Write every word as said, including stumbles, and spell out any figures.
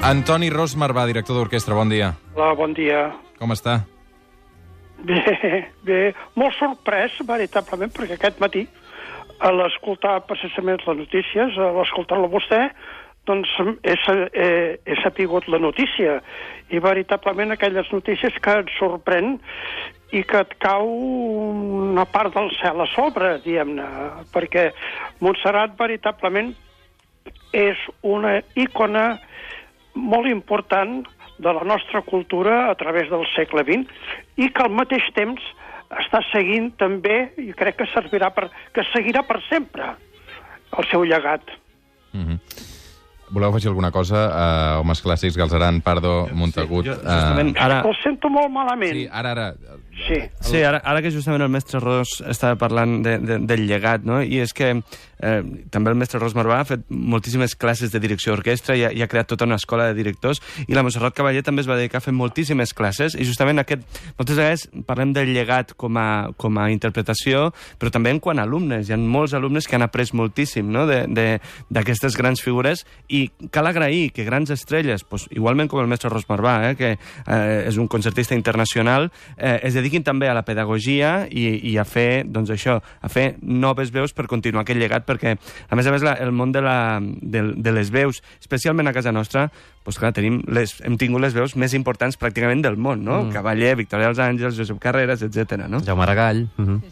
Antoni Ros Marvà, director d'orquestra, bon dia. Hola, bon dia. Com està? Bé, bé, molt sorprès, veritablement, perquè aquest matí, a l'escoltar precisament les notícies, a l'escoltar-lo vostè, doncs he, he, he sapigut la notícia, i veritablement aquelles notícies que et sorprèn i que et cau una part del cel a sobre, diguem-ne, perquè Montserrat veritablement és una icona molt important de la nostra cultura a través del segle vint i que al mateix temps està seguint també, i crec que servirà per, que seguirà per sempre el seu llegat. Mm-hmm. Voleu afegir alguna cosa a uh, Homes Clàssics, Galceran, Pardo, Montagut? Sí, jo, justament, uh... ara... Ho sento molt malament. Sí, ara, ara... Sí, sí ara, ara que justament el mestre Ros estava parlant de, de, del llegat, no? I és que eh, també el mestre Ros Marvà ha fet moltíssimes classes de direcció d'orquestra i, ha, i ha creat tota una escola de directors, i la Montserrat Cavaller també es va dedicar a fer moltíssimes classes, i justament aquest, moltes vegades parlem del llegat com a, com a interpretació, però també en quant a alumnes. Hi ha molts alumnes que han après moltíssim, no?, d'aquestes grans figures, i cal agrair que grans estrelles, pues, igualment com el mestre Ros Marvà, eh, que eh, és un concertista internacional, eh, es dediquin també a la pedagogia i, i a fer, doncs això, a fer noves veus per continuar aquest llegat, perquè, a més a més, la, el món de, la, de, de les veus, especialment a casa nostra, doncs clar, tenim les, hem tingut les veus més importants pràcticament del món, no? Mm. Cavaller, Victòria dels Àngels, Josep Carreras, etcètera, no? Jaume Aragall. Mm-hmm.